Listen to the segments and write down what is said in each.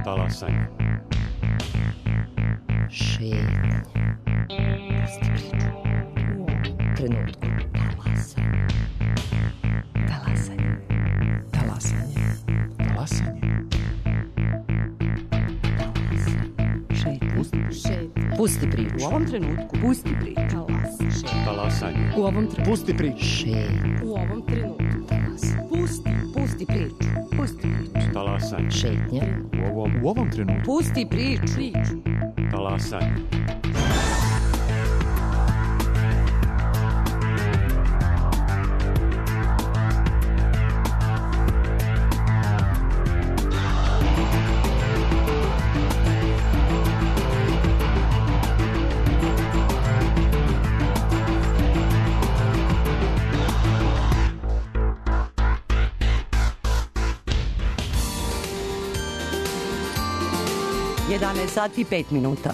Talasanje. Šetnja. Pusti priču. U ovom trenutku. Talasanje. Talasanje. Talasanje. Talasanje. Pusti priču. U ovom trenutku. Pusti priču. Talasanje. U ovom trenutku. Pusti priču. Šetnja. U ovom trenutku. Pusti priču. Pusti priču. Talasanje. Šetnja. U ovom trenutku. Pusti priču. Talasanje. Sati i 5 minuta.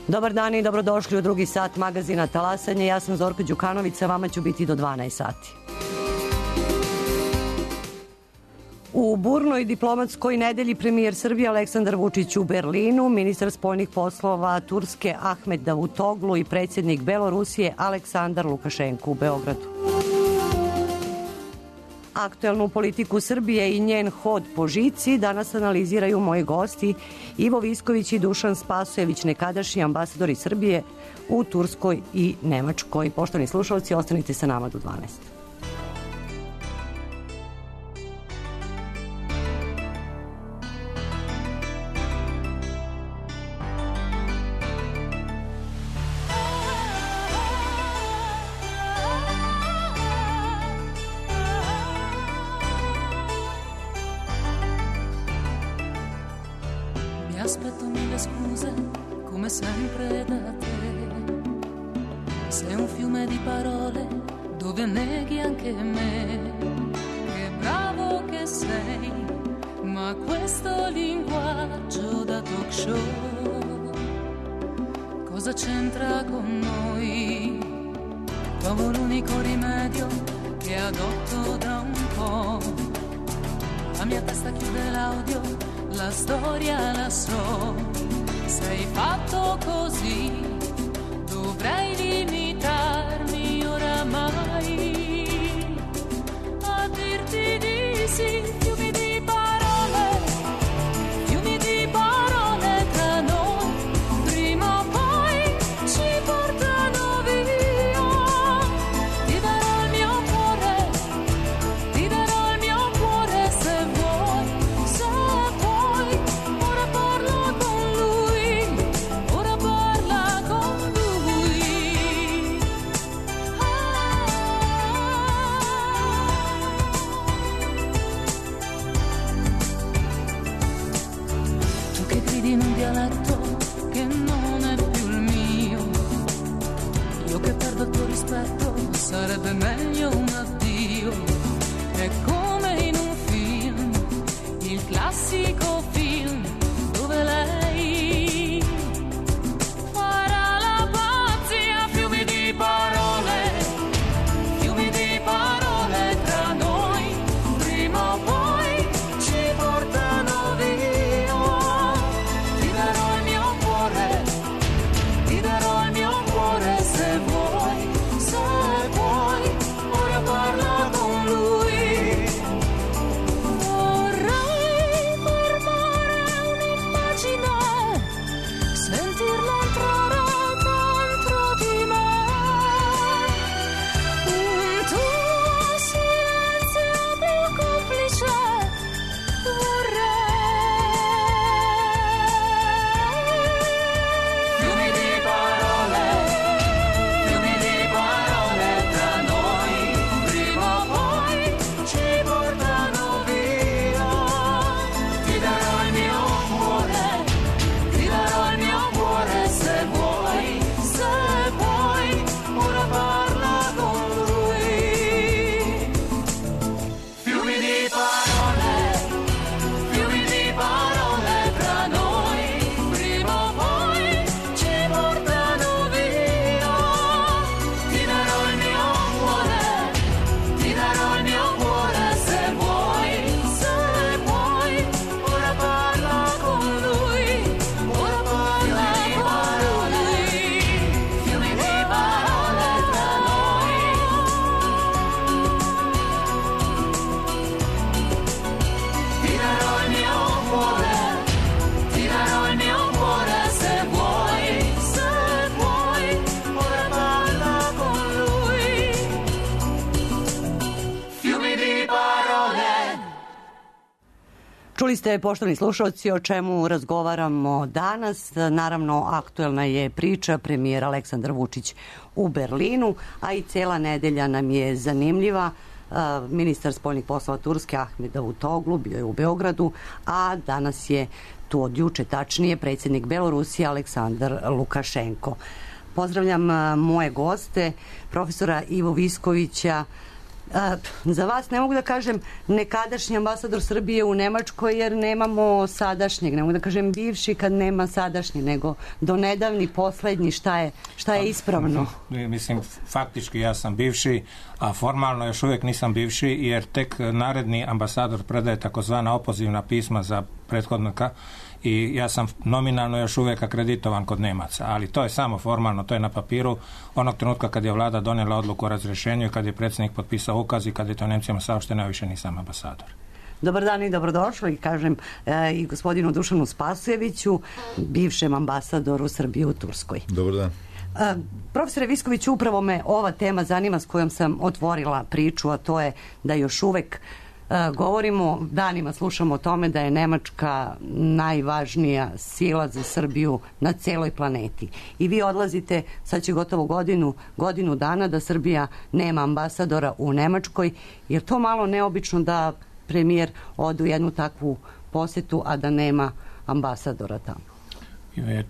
Dobar dan i dobrodošli u drugi sat magazina Talasanje. Ja sam Zorka Đukanović, sa vama ću biti do 12 sati. U burnoj diplomatskoj nedelji premijer Srbije Aleksandar Vučić u Berlinu, ministar spoljnih poslova Turske Ahmet Davutoglu i predsjednik Belorusije Aleksandar Lukašenko u Beogradu. Aktuelnu politiku Srbije i njen hod po žici danas analiziraju moji gosti Ivo Visković i Dušan Spasojević, nekadašnji ambasadori Srbije u Turskoj i Nemačkoj. Poštovani slušalci, ostanite sa nama do 12. Aspetto mille scuse, come sempre da te. Sei un fiume di parole dove neghi anche me. Che bravo che sei, ma questo linguaggio da talk show cosa c'entra con noi? Trovo l'unico rimedio che adotto da un po'. La mia testa chiude l'audio, la storia la so, sei fatto così, dovrei limitarmi oramai a dirti di sì. Fiumi di parole tra noi, prima o poi ci portano via. Ti darò il mio cuore se vuoi, se vuoi. Ora parla con lui. Tu che gridi in un dialetto che non è più il mio, io che perdo il tuo rispetto, sarebbe meglio un addio. È come in un film, il classico film dove lei farà la pazzia. Fiumi di parole tra noi, prima o poi ci portano via. Ti darò il mio cuore se vuoi, Čuli ste, poštovani slušalci, o čemu razgovaramo danas. Naravno, aktuelna je priča premijer Aleksandar Vučić u Berlinu, a i cela nedelja nam je zanimljiva. Ministar spoljnih poslova Turske Ahmet Davutoglu bio je u Beogradu, a danas je tu od juče tačnije predsjednik Belorusije Aleksandar Lukašenko. Pozdravljam moje goste, profesora Ivo Viskovića. Za vas ne mogu da kažem nekadašnji ambasador Srbije u Nemačkoj, jer nemamo sadašnjeg, ne mogu da kažem bivši kad nema sadašnji, nego do nedavni, poslednji, šta je ispravno? Mislim, faktički ja sam bivši, a formalno još uvijek nisam bivši, jer tek naredni ambasador predaje takozvana opozivna pisma za prethodnika i ja sam nominalno još uvijek akreditovan kod Nemaca, ali to je samo formalno, to je na papiru. Onog trenutka kad je vlada donijela odluku o razrješenju i kad je predsjednik potpisao ukaz i kad je to Nemcima saopšteno, ja više nisam ambasador. Dobar dan i dobrodošli, kažem i gospodinu Dušanu Spasojeviću, bivšem ambasadoru Srbije u Turskoj. Dobar dan. Profesore Visković, upravo me ova tema zanima s kojom sam otvorila priču, a to je da još uvek govorimo, danima slušamo o tome da je Nemačka najvažnija sila za Srbiju na celoj planeti. I vi odlazite, sad će gotovo godinu dana da Srbija nema ambasadora u Nemačkoj. Je to malo neobično da premijer ode u jednu takvu posetu, a da nema ambasadora tamo?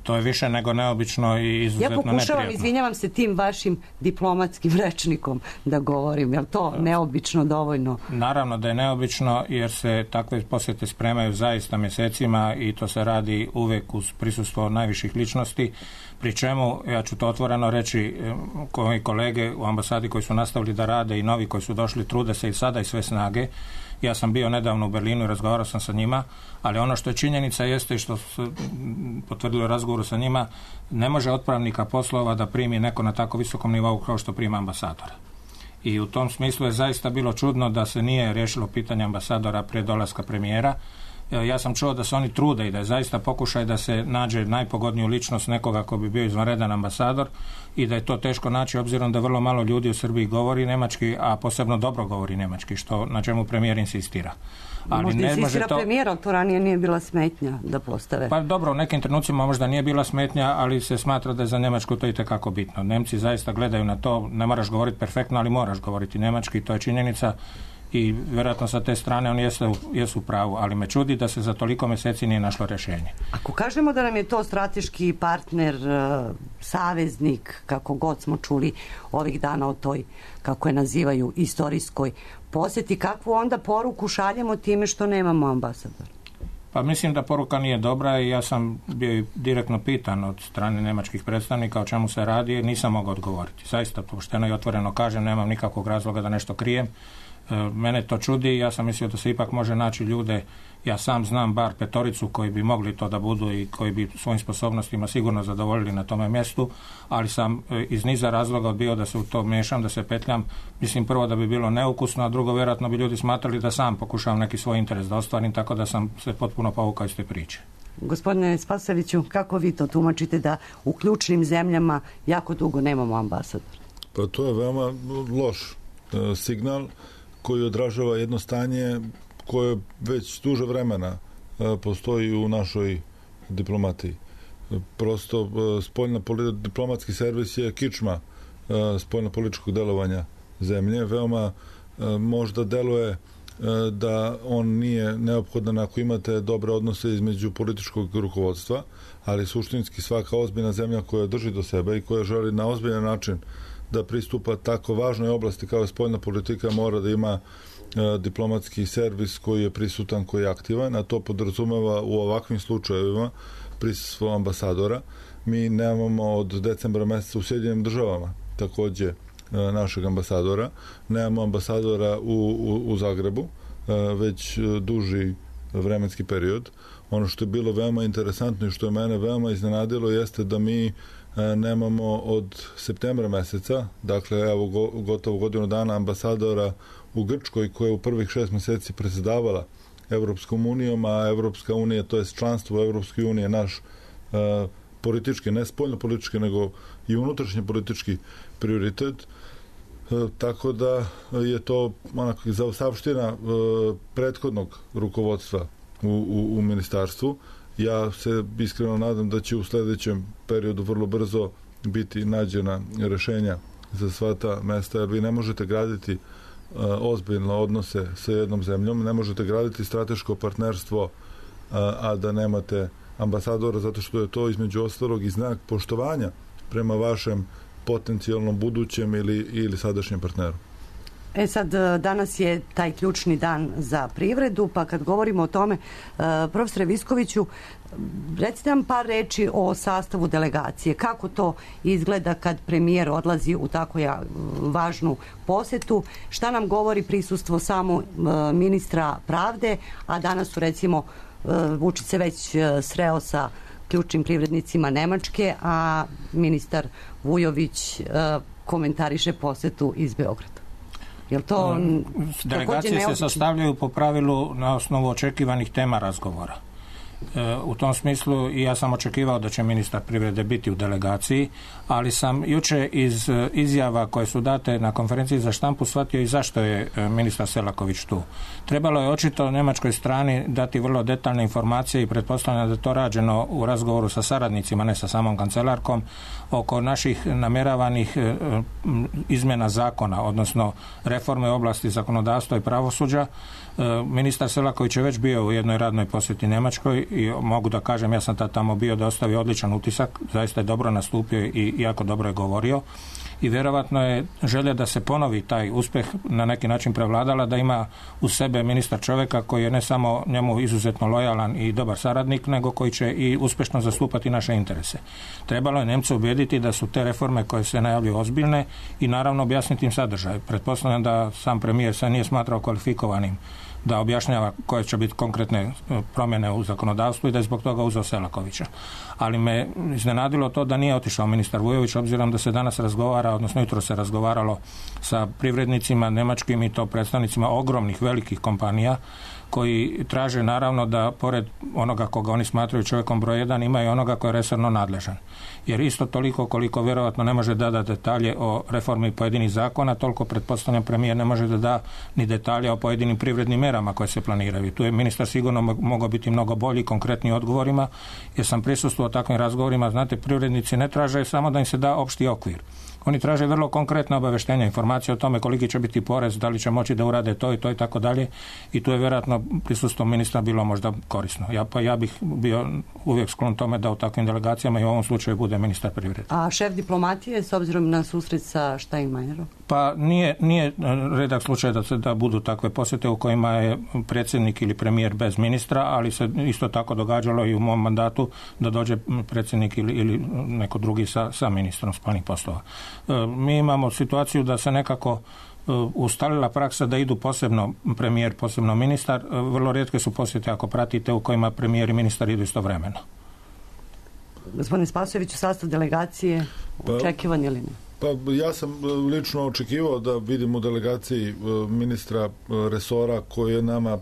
To je više nego neobično i izuzetno neprijatno. Ja pokušavam, izvinjavam se, tim vašim diplomatskim rečnikom da govorim. Je li to neobično dovoljno? Naravno da je neobično, jer se takve posjete spremaju zaista mjesecima i to se radi uvijek uz prisustvo najviših ličnosti, pri čemu, ja ću to otvoreno reći, koji kolege u ambasadi koji su nastavili da rade i novi koji su došli trude se i sada i sve snage. Ja sam bio nedavno u Berlinu i razgovarao sam sa njima, ali ono što je činjenica jeste i što se potvrdilo u razgovoru sa njima, ne može otpravnika poslova da primi neko na tako visokom nivou kao što prima ambasadora. I u tom smislu je zaista bilo čudno da se nije riješilo pitanje ambasadora prije dolaska premijera. Ja sam čuo da se oni trude i da je zaista pokušaj da se nađe najpogodniju ličnost nekoga ko bi bio izvanredan ambasador i da je to teško naći obzirom da vrlo malo ljudi u Srbiji govori nemački, a posebno dobro govori nemački, na čemu premijer insistira. Ali možda insistira premijer, ali to ranije nije bila smetnja da postave. Pa dobro, u nekim trenucima možda nije bila smetnja, ali se smatra da je za Njemačku to itekako bitno. Nemci zaista gledaju na to, ne moraš govoriti perfektno, ali moraš govoriti nemački, to je činjenica. I vjerojatno sa te strane oni jesu u pravu, ali me čudi da se za toliko mjeseci nije našlo rješenje. Ako kažemo da nam je to strateški partner, saveznik, kako god smo čuli ovih dana o toj, kako je nazivaju, istorijskoj posjeti, kakvu onda poruku šaljemo time što nemamo ambasadora? Pa mislim da poruka nije dobra i ja sam bio direktno pitan od strane nemačkih predstavnika o čemu se radi, jer nisam mogao odgovoriti. Zaista pošteno i otvoreno kažem, nemam nikakvog razloga da nešto krijem. Mene to čudi, ja sam mislio da se ipak može naći ljude, ja sam znam bar 5 koji bi mogli to da budu i koji bi svojim sposobnostima sigurno zadovoljili na tome mjestu, ali sam iz niza razloga odbio da se u to miješam, da se petljam. Mislim prvo da bi bilo neukusno, a drugo vjerojatno bi ljudi smatrali da sam pokušavam neki svoj interes da ostvarim, tako da sam se potpuno povukao iz te priče. Gospodine Spasojeviću, kako vi to tumačite da u ključnim zemljama jako dugo nemamo ambasadora? Pa to je veoma loš signal koji odražava jedno stanje koje već duže vremena postoji u našoj diplomatiji. Prosto diplomatski servis je kičma spoljnopolitičkog delovanja zemlje. Veoma možda deluje da on nije neophodan ako imate dobre odnose između političkog rukovodstva, ali suštinski svaka ozbiljna zemlja koja drži do sebe i koja želi na ozbiljan način da pristupa tako važnoj oblasti kao je spoljna politika, mora da ima diplomatski servis koji je prisutan, koji je aktivan, a to podrazumeva u ovakvim slučajevima prisustvo ambasadora. Mi nemamo od decembra meseca u Sjedinjenim Državama takođe našeg ambasadora. Nemamo ambasadora u Zagrebu već duži vremenski period. Ono što je bilo veoma interesantno i što je mene veoma iznenadilo jeste da mi nemamo od septembra meseca, dakle evo gotovo godinu dana, ambasadora u Grčkoj koja je u prvih 6 mjeseci predsjedavala Evropskom unijom, a Evropska unija, to je članstvo u Evropskoj uniji, je naš politički, ne spoljno politički, nego i unutrašnji politički prioritet. Tako da je to onako zaostavština prethodnog rukovodstva u ministarstvu. Ja se iskreno nadam da će u sledećem periodu vrlo brzo biti nađena rešenja za sva ta mesta, jer vi ne možete graditi ozbiljne odnose sa jednom zemljom, ne možete graditi strateško partnerstvo, a da nemate ambasadora, zato što je to između ostalog i znak poštovanja prema vašem potencijalnom budućem ili sadašnjem partneru. Sad, danas je taj ključni dan za privredu, pa kad govorimo o tome, profesore Viskoviću, recite nam par reči o sastavu delegacije. Kako to izgleda kad premijer odlazi u tako važnu posetu? Šta nam govori prisustvo samo ministra pravde, a danas su recimo Vučić se već sreo sa ključnim privrednicima Nemačke, a ministar Vujović komentariše posetu iz Beograda. Delegacije se sastavljaju po pravilu na osnovu očekivanih tema razgovora. U tom smislu i ja sam očekivao da će ministar privrede biti u delegaciji, ali sam juče iz izjava koje su date na konferenciji za štampu shvatio i zašto je ministar Selaković tu. Trebalo je očito njemačkoj strani dati vrlo detaljne informacije i pretpostavljam da je to rađeno u razgovoru sa saradnicima, ne sa samom kancelarkom, oko naših namjeravanih izmjena zakona, odnosno reforme u oblasti zakonodavstva i pravosuđa. Ministar Selaković je već bio u jednoj radnoj posjeti Njemačkoj i mogu da kažem, ja sam tamo bio, da ostavio odličan utisak, zaista je dobro nastupio i jako dobro je govorio i vjerovatno je želja da se ponovi taj uspjeh na neki način prevladala, da ima u sebe ministar čovjeka koji je ne samo njemu izuzetno lojalan i dobar saradnik, nego koji će i uspješno zastupati naše interese. Trebalo je Nemce ubijediti da su te reforme koje se najavljuju ozbiljne i naravno objasniti im sadržaj. Pretpostavljam da sam premijer se nije smatrao kvalifikovanim da objašnjava koje će biti konkretne promjene u zakonodavstvu i da je zbog toga uzeo Selakovića. Ali me iznenadilo to da nije otišao ministar Vujović, obzirom da se danas razgovara, odnosno jutro se razgovaralo sa privrednicima njemačkim i to predstavnicima ogromnih velikih kompanija koji traže naravno da pored onoga koga oni smatraju čovjekom broj 1 ima i onoga koji je resorno nadležan. Jer isto toliko koliko vjerovatno ne može da detalje o reformi pojedinih zakona, toliko pretpostavljam premijer ne može da da ni detalje o pojedinim privrednim merama koje se planiraju. Tu je ministar sigurno mogao biti mnogo bolji konkretnim odgovorima, jer sam prisustvovao takvim razgovorima. Znate, privrednici ne traže samo da im se da opšti okvir. Oni traže vrlo konkretne obaveštenja, informacije o tome koliki će biti porez, da li će moći da urade to i tako dalje. I tu je vjerojatno prisustvo ministra bilo možda korisno. Ja bih bio uvijek sklon tome da u takvim delegacijama i u ovom slučaju bude ministar privrede. A šef diplomatije s obzirom na susret sa Steinmeierom? Pa nije redak slučaj da budu takve posjete u kojima je predsjednik ili premijer bez ministra, ali se isto tako događalo i u mom mandatu da dođe predsjednik ili neko drugi sa ministrom spoljnih poslova. Mi imamo situaciju da se nekako ustalila praksa da idu posebno premijer, posebno ministar. Vrlo rijetke su posjete, ako pratite, u kojima premijer i ministar idu istovremeno. Gospodine Spasojević, u sastav delegacije očekivan ili ne? Pa ja sam lično očekivao da vidim u delegaciji ministra resora koji je nama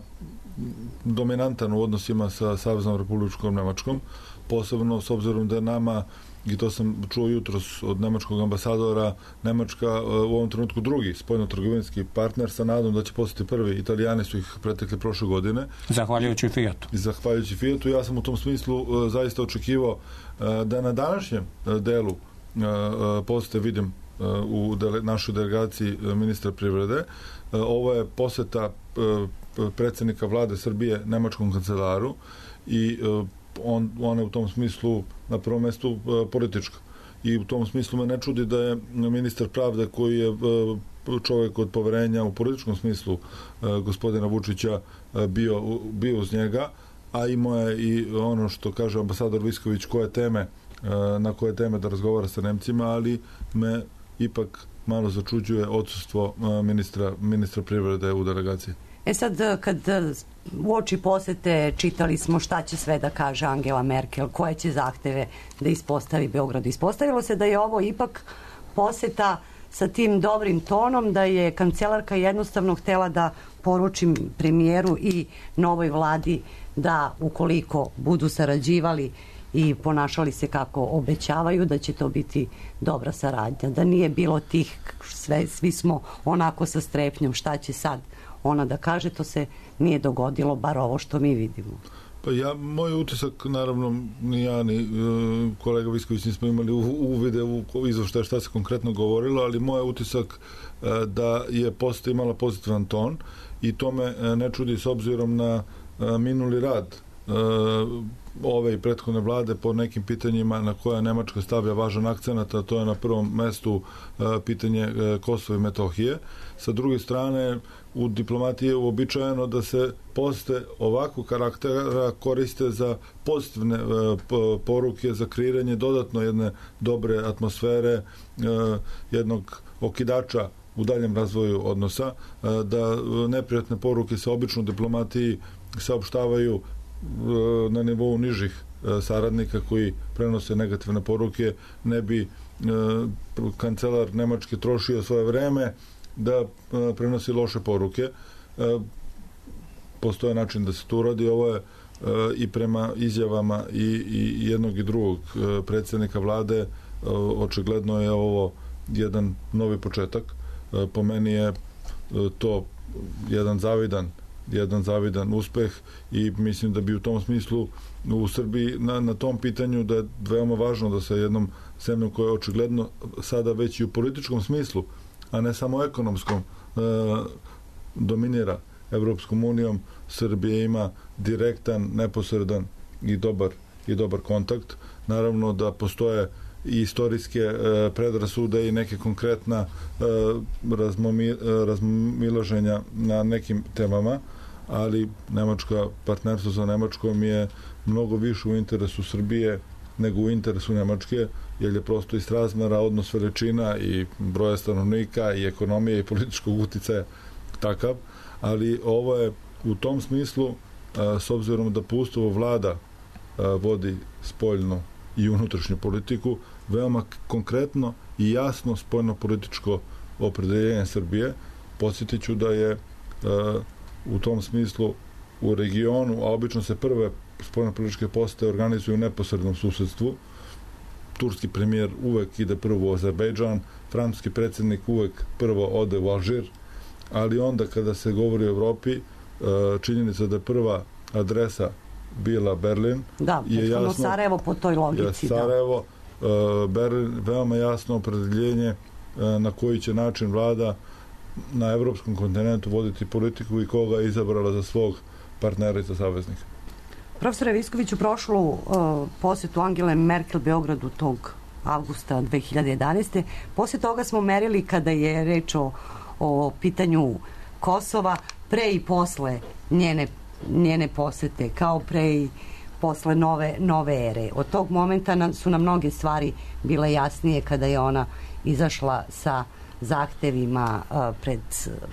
dominantan u odnosima sa Saveznom Republičkom Nemačkom, posebno s obzirom da je nama, i to sam čuo jutros od nemačkog ambasadora, Nemačka u ovom trenutku drugi spoljno-trgovinski partner, sa nadom da će postati prvi. Italijani su ih pretekli prošle godine. Zahvaljujući Fiatu. Zahvaljujući Fiatu. Ja sam u tom smislu zaista očekivao da na današnjem delu posete vidim u našoj delegaciji ministra privrede. Ovo je poseta predsjednika vlade Srbije nemačkom kancelaru i on je u tom smislu na prvom mjestu politička. I u tom smislu me ne čudi da je ministar pravde, koji je čovjek od poverenja u političkom smislu gospodina Vučića, bio uz njega, a imao je i ono što kaže ambasador Visković, na koje teme da razgovara sa Nemcima, ali me ipak malo začuđuje odsustvo ministra privrede u delegaciji. Sad, kad uoči posete čitali smo šta će sve da kaže Angela Merkel, koje će zahteve da ispostavi Beogradu. Ispostavilo se da je ovo ipak poseta sa tim dobrim tonom, da je kancelarka jednostavno htjela da poruči premijeru i novoj vladi da ukoliko budu sarađivali i ponašali se kako obećavaju, da će to biti dobra saradnja. Da nije bilo tih, svi smo onako sa strepnjom šta će sad ona da kaže, to se nije dogodilo, bar ovo što mi vidimo. Pa moj utisak, naravno, ni ja ni kolega Visković nismo imali uvide u izveštaj šta se konkretno govorilo, ali moj utisak da je posta imala pozitivan ton i to me ne čudi s obzirom na minuli rad ove i prethodne vlade po nekim pitanjima na koja Nemačka stavlja važan akcenat, a to je na prvom mestu pitanje Kosova i Metohije. Sa druge strane, u diplomatiji je uobičajeno da se poste ovakvog karaktera koriste za pozitivne poruke, za kreiranje dodatno jedne dobre atmosfere, jednog okidača u daljem razvoju odnosa, da neprijatne poruke se obično u diplomatiji saopštavaju na nivou nižih saradnika koji prenose negativne poruke, ne bi kancelar Nemačke trošio svoje vreme da prenosi loše poruke. Postoje način da se to uradi. Ovo je i prema izjavama i jednog i drugog predsjednika vlade, očigledno je ovo jedan novi početak. Po meni je to jedan zavidan uspeh i mislim da bi u tom smislu u Srbiji na tom pitanju da je veoma važno da sa jednom zemljom koja je očigledno sada već i u političkom smislu, a ne samo ekonomskom, dominira Evropskom unijom, Srbija ima direktan, neposredan i dobar kontakt. Naravno da postoje i istorijske predrasude i neke konkretna razmilaženja na nekim temama, ali partnerstvo sa Nemačkom je mnogo više u interesu Srbije nego u interesu Nemačke, jer je prosto iz razmera odnos veličina i broja stanovnika i ekonomije i političkog uticaja takav, ali ovo je u tom smislu, s obzirom da po Ustavu vlada vodi spoljnu i unutrašnju politiku, veoma konkretno i jasno spoljno-političko opredeljenje Srbije. Podsjetit ću da je u tom smislu u regionu, a obično se prve spoljno-političke posete organizuju u neposrednom susedstvu. Turski premijer uvek ide prvo u Azerbejdžan, francuski predsjednik uvek prvo ode u Alžir, ali onda kada se govori o Evropi, činjenica da je prva adresa bila Berlin. Da, je jasno, Sarajevo po toj logici. Sarajevo, Berlin, veoma jasno opredeljenje na koji će način vlada na evropskom kontinentu voditi politiku i koga je izabrala za svog partnera i za saveznika. Profesore Viskoviću, prošlu posjetu Angele Merkel Beogradu tog avgusta 2011. Poslije toga smo merili kada je reč o pitanju Kosova pre i posle njene posete, kao pre i posle nove ere. Od tog momenta su nam mnoge stvari bile jasnije kada je ona izašla sa zahtevima pred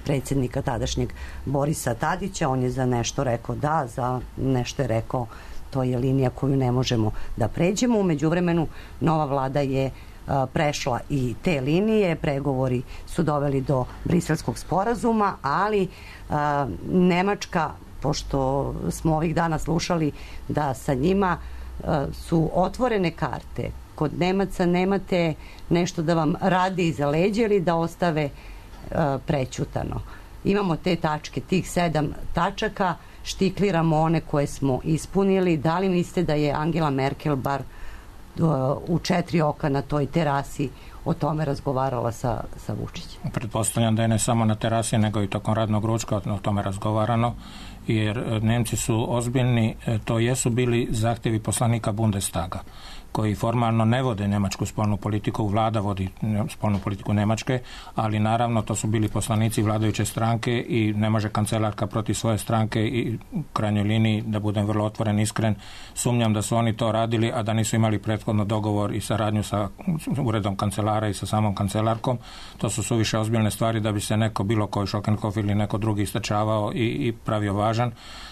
predsjednika tadašnjeg Borisa Tadića. On je za nešto rekao da, za nešto je rekao to je linija koju ne možemo da pređemo. U međuvremenu nova vlada je prešla i te linije, pregovori su doveli do Briselskog sporazuma, ali Nemačka, pošto smo ovih dana slušali da sa njima su otvorene karte, kod Nemaca nemate nešto da vam radi iza leđa ili da ostave prećutano. Imamo te tačke, tih 7 tačaka, štikliramo one koje smo ispunili. Da li mislite da je Angela Merkel bar u 4 oka na toj terasi o tome razgovarala sa Vučićem? Pretpostavljam da je ne samo na terasi, nego i tokom radnog ručka o tome razgovarano, jer Nemci su ozbiljni, to jesu bili zahtjevi poslanika Bundestaga, koji formalno ne vode njemačku spoljnu politiku, vlada vodi spoljnu politiku Njemačke, ali naravno to su bili poslanici vladajuće stranke i ne može kancelarka protiv svoje stranke i u krajnjoj liniji, da budem vrlo otvoren, iskren, sumnjam da su oni to radili, a da nisu imali prethodno dogovor i saradnju sa uredom kancelara i sa samom kancelarkom. To su suviše ozbiljne stvari da bi se neko, bilo koji Šokenhof ili neko drugi istračavao i pravio važan.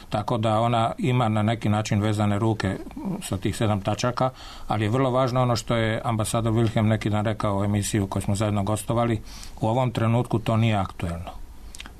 Tako da ona ima na neki način vezane ruke sa tih 7 tačaka, ali je vrlo važno ono što je ambasador Wilhelm neki dan rekao u emisiju koju smo zajedno gostovali, u ovom trenutku to nije aktuelno.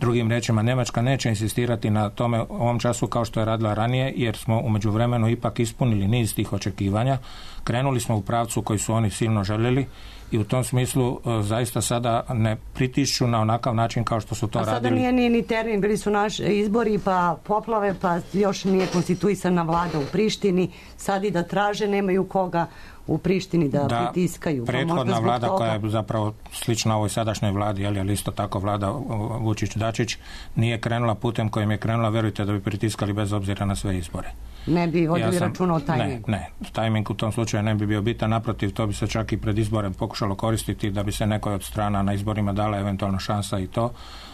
Drugim rečima, Njemačka neće insistirati na tome u ovom času kao što je radila ranije, jer smo u međuvremenu ipak ispunili niz tih očekivanja. Krenuli smo u pravcu koji su oni silno željeli i u tom smislu zaista sada ne pritišću na onakav način kao što su to radili. A sada nije ni termin, bili su naši izbori, pa poplave, pa još nije konstituisana vlada u Prištini. Sad i da traže, nemaju koga u Prištini da pritiskaju. Prethodna vlada koja je zapravo slična ovoj sadašnjoj vladi, ali isto tako vlada Vučić-Dačić, nije krenula putem kojim je krenula, verujte da bi pritiskali bez obzira na sve izbore. Ne bi vodili računa o tajmingu. Ne, tajming u tom slučaju ne bi bio bitan, naprotiv, to bi se čak i pred izborem pokušalo koristiti da bi se nekoj od strana na izborima dala eventualno šansa i to,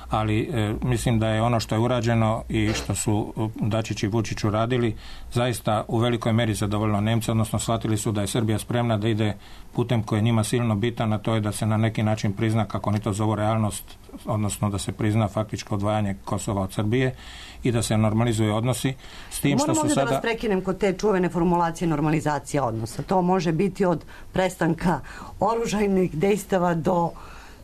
ali mislim da je ono što je urađeno i što su Dačić i Vučić uradili zaista u velikoj meri zadovoljilo Nemce, odnosno shvatili su da je Srbija spremna da ide putem koji je njima silno bitan, a to je da se na neki način prizna, kako oni to zovu, realnost, odnosno da se prizna faktičko odvajanje Kosova od Srbije i da se normalizuju odnosi. S tim što su sada... da vas prekinem kod te čuvene formulacije normalizacija odnosa. To može biti od prestanka oružajnih dejstava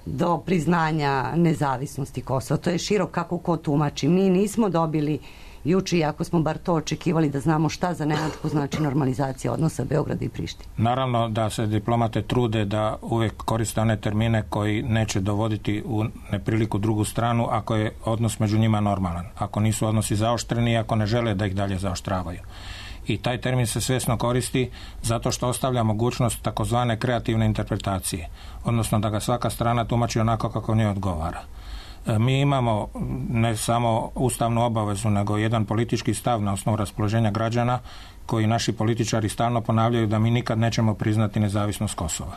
do priznanja nezavisnosti Kosova. To je širok kako ko tumači. Mi nismo dobili juče, iako smo bar to očekivali da znamo šta za Nemačku znači normalizacija odnosa Beograda i Prištine. Naravno da se diplomate trude da uvijek koriste one termine koji neće dovoditi u nepriliku drugu stranu ako je odnos među njima normalan. Ako nisu odnosi zaoštreni, ako ne žele da ih dalje zaoštravaju. I taj termin se svjesno koristi zato što ostavlja mogućnost takozvane kreativne interpretacije, odnosno da ga svaka strana tumači onako kako njoj odgovara. Mi imamo ne samo ustavnu obavezu, nego jedan politički stav na osnovu raspoloženja građana koji naši političari stalno ponavljaju da mi nikad nećemo priznati nezavisnost Kosova.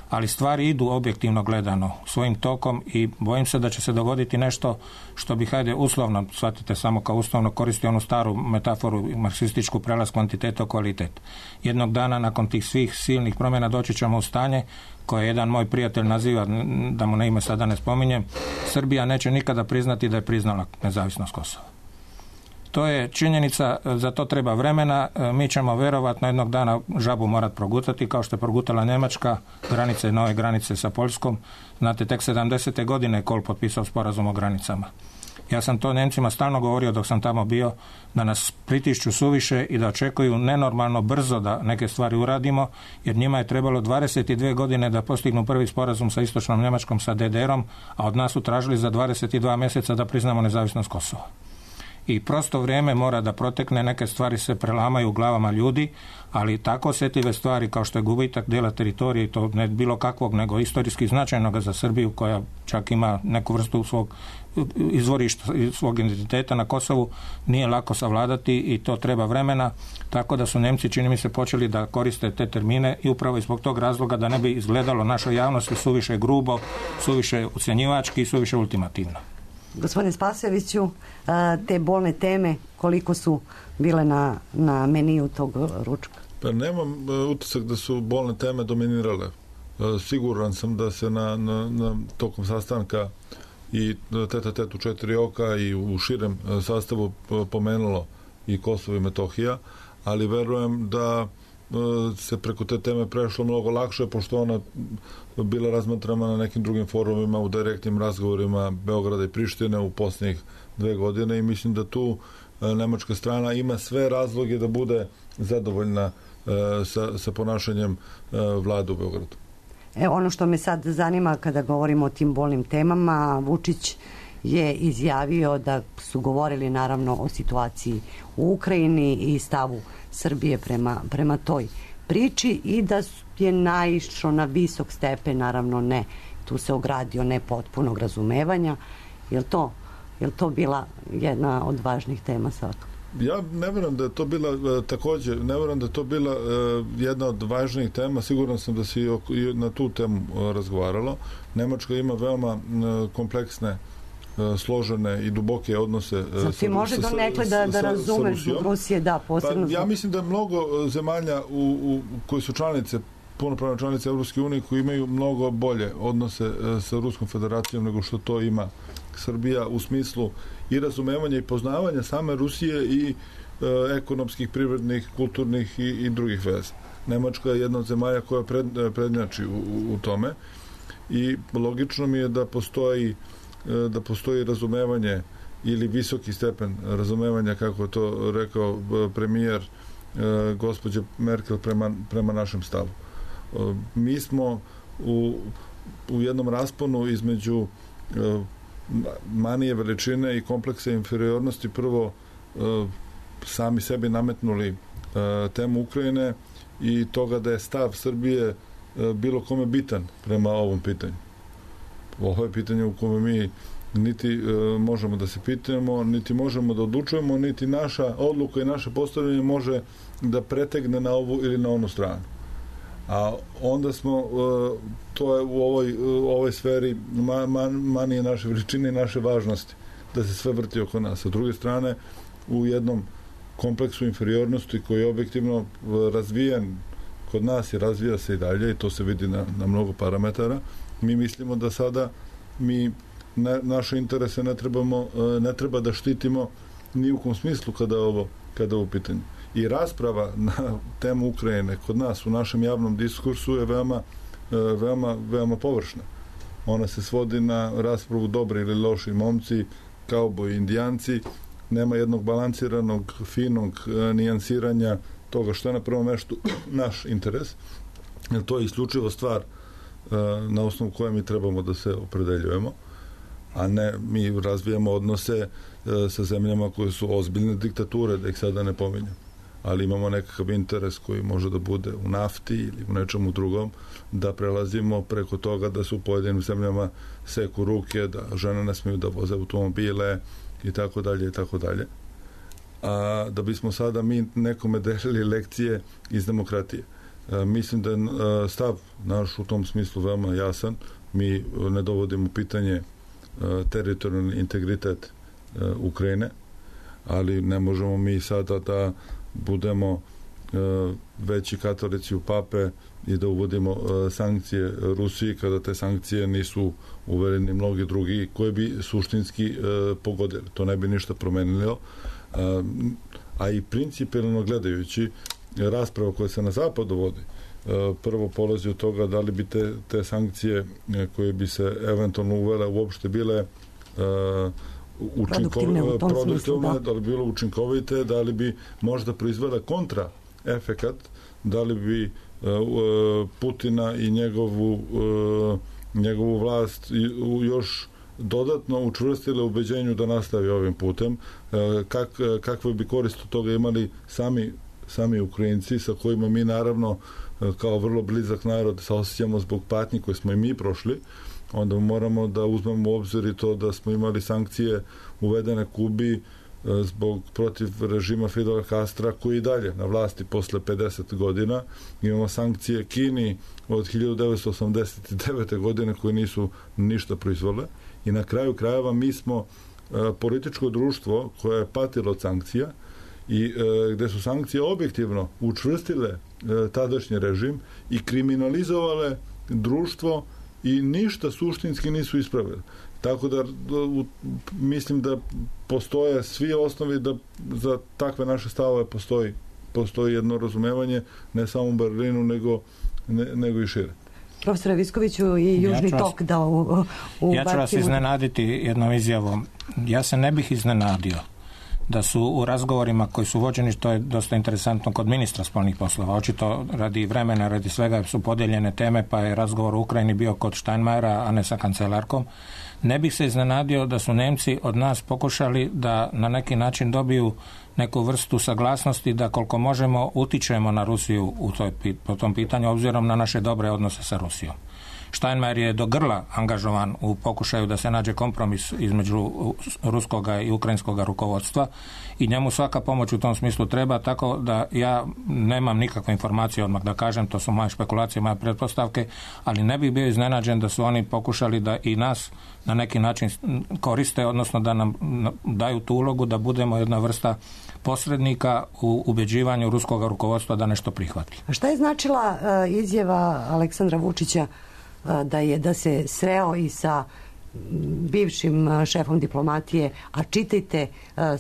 Ali stvari idu objektivno gledano svojim tokom i bojim se da će se dogoditi nešto što bi, hajde, uslovno, shvatite samo kao uslovno, koristi onu staru metaforu marksističku, prelaz kvantiteta u kvalitet. Jednog dana nakon tih svih silnih promjena doći ćemo u stanje koje jedan moj prijatelj naziva, da mu na ime sada ne spominjem, Srbija neće nikada priznati da je priznala nezavisnost Kosova. To je činjenica, za to treba vremena, mi ćemo vjerovatno jednog dana žabu morati progutati, kao što je progutala Njemačka, granice, nove granice sa Poljskom. Znate, tek 70. godine je Kohl potpisao sporazum o granicama. Ja sam to Njemcima stalno govorio dok sam tamo bio, da nas pritišću suviše i da očekuju nenormalno brzo da neke stvari uradimo, jer njima je trebalo 22 godine da postignu prvi sporazum sa istočnom Njemačkom, sa DDR-om, a od nas su tražili za 22 mjeseca da priznamo nezavisnost Kosova. I prosto vrijeme mora da protekne, neke stvari se prelamaju u glavama ljudi, ali tako osjetljive stvari kao što je gubitak dijela teritorije, to ne bilo kakvog, nego istorijski značajnoga za Srbiju, koja čak ima neku vrstu svog izvorišta, svog identiteta na Kosovu, nije lako savladati i to treba vremena, tako da su Nemci, čini mi se, počeli da koriste te termine i upravo zbog tog razloga da ne bi izgledalo našoj javnosti suviše grubo, suviše ucjenjivački i suviše ultimativno. Gospodine Spasojeviću, te bolne teme koliko su bile na meniju tog ručka? Pa nemam utisak da su bolne teme dominirale. Siguran sam da se na tokom sastanka i tete u 4 oka i u širem sastavu pomenulo i Kosovo i Metohija, ali verujem da se preko te teme prešlo mnogo lakše, pošto ona bila razmatrana na nekim drugim forumima, u direktnim razgovorima Beograda i Prištine u posljednjih 2 godine i mislim da tu nemačka strana ima sve razloge da bude zadovoljna sa ponašanjem vlade u Beogradu. Ono što me sad zanima kada govorimo o tim bolnim temama, Vučić je izjavio da su govorili naravno o situaciji u Ukrajini i stavu Srbije prema toj priči i da je naišao na visok stepen, naravno ne, tu se ogradio, ne potpunog razumevanja. Je li to bila jedna od važnih tema svakako? Ja ne vjerujem da je to bila također, ne vjerujem da je to bila jedna od važnijih tema, siguran sam da se i na tu temu razgovaralo. Nemačka ima veoma kompleksne, složene i duboke odnose Znači može donekle da razumeš Rusije, da, posebno. Ja mislim da je mnogo zemalja koji su članice, punopravne članice Evropske unije, koji imaju mnogo bolje odnose sa Ruskom federacijom nego što to ima Srbija u smislu i razumevanja i poznavanja same Rusije i ekonomskih, privrednih, kulturnih i drugih veza. Nemačka je jedna od zemalja koja prednjači u tome i logično mi je da postoji da postoji razumevanje ili visoki stepen razumevanja, kako je to rekao premijer gospođe Merkel prema našem stavu. Mi smo u jednom rasponu između manije veličine i kompleksa inferiornosti prvo sami sebi nametnuli temu Ukrajine i toga da je stav Srbije bilo kome bitan prema ovom pitanju. Ovo je pitanje u kome mi niti možemo da se pitamo, niti možemo da odlučujemo, niti naša odluka i naše postavljanje može da pretegne na ovu ili na onu stranu. A onda smo, to je u ovoj sferi manije naše veličine i naše važnosti, da se sve vrti oko nas. Sa druge strane, u jednom kompleksu inferiornosti koji je objektivno razvijen kod nas i razvija se i dalje, i to se vidi na mnogo parametara, mi mislimo da sada mi naše interese ne treba da štitimo ni u kom smislu kada je ovo pitanje. I rasprava na temu Ukrajine kod nas u našem javnom diskursu je veoma površna. Ona se svodi na raspravu dobri ili loši momci, kauboji, indijanci, nema jednog balansiranog, finog nijansiranja toga što je na prvom meštu naš interes. To je isključivo stvar na osnovu koje mi trebamo da se opredeljujemo, a ne mi razvijamo odnose sa zemljama koje su ozbiljne diktature, da ih sada ne pominjem. Ali imamo nekakav interes koji može da bude u nafti ili u nečemu drugom, da prelazimo preko toga da su u pojedinim zemljama seku ruke, da žene ne smiju da voze automobile i tako dalje i tako dalje. A da bismo sada mi nekome delili lekcije iz demokratije. Mislim da je stav naš u tom smislu veoma jasan. Mi ne dovodimo pitanje teritorijalni integritet Ukrajine, ali ne možemo mi sada da budemo veći katolici u pape i da uvodimo sankcije Rusiji kada te sankcije nisu uvereni mnogi drugi koji bi suštinski pogodili. To ne bi ništa promenilo. A i principijelno gledajući rasprava koja se na zapadu vodi, prvo polazi od toga da li bi te sankcije koje bi se eventualno uvele uopšte bile produktivne, da li bi bilo učinkovite, da li bi možda proizvela kontra efekat, da li bi Putina i njegovu vlast još dodatno učvrstile ubeđenju da nastavi ovim putem, kakve bi korist od toga imali sami Ukrajinci, sa kojima mi naravno kao vrlo blizak narod saosjećamo zbog patnji koje smo i mi prošli. Onda moramo da uzmemo u obzir i to da smo imali sankcije uvedene Kubi protiv režima Fidela Castra, koji i dalje na vlasti posle 50 godina. Imamo sankcije Kini od 1989. godine koje nisu ništa proizvole. I na kraju krajeva mi smo političko društvo koje je patilo od sankcija i gde su sankcije objektivno učvrstile tadašnji režim i kriminalizovale društvo i ništa suštinski nisu ispravili. Tako da mislim da postoje svi osnovi da za takve naše stavove postoji jedno razumevanje, ne samo u Berlinu, nego i šire. Profesore Viskoviću, i Južni tok da ubacimo. Ja ću vas iznenaditi jednom izjavom. Ja se ne bih iznenadio da su u razgovorima koji su vođeni, to je dosta interesantno kod ministra spoljnih poslova, očito radi vremena, radi svega su podijeljene teme, pa je razgovor u Ukrajini bio kod Steinmeiera, a ne sa kancelarkom. Ne bih se iznenadio da su Nemci od nas pokušali da na neki način dobiju neku vrstu saglasnosti da koliko možemo utičemo na Rusiju po tom pitanju, obzirom na naše dobre odnose sa Rusijom. Steinmeier je do grla angažovan u pokušaju da se nađe kompromis između ruskoga i ukrajinskoga rukovodstva i njemu svaka pomoć u tom smislu treba, tako da ja nemam nikakve informacije odmah da kažem, to su moje špekulacije, moje pretpostavke, ali ne bih bio iznenađen da su oni pokušali da i nas na neki način koriste, odnosno da nam daju tu ulogu da budemo jedna vrsta posrednika u ubeđivanju ruskog rukovodstva da nešto prihvati. A šta je značila izjava Aleksandra Vučića da se sreo i sa bivšim šefom diplomatije, a čitajte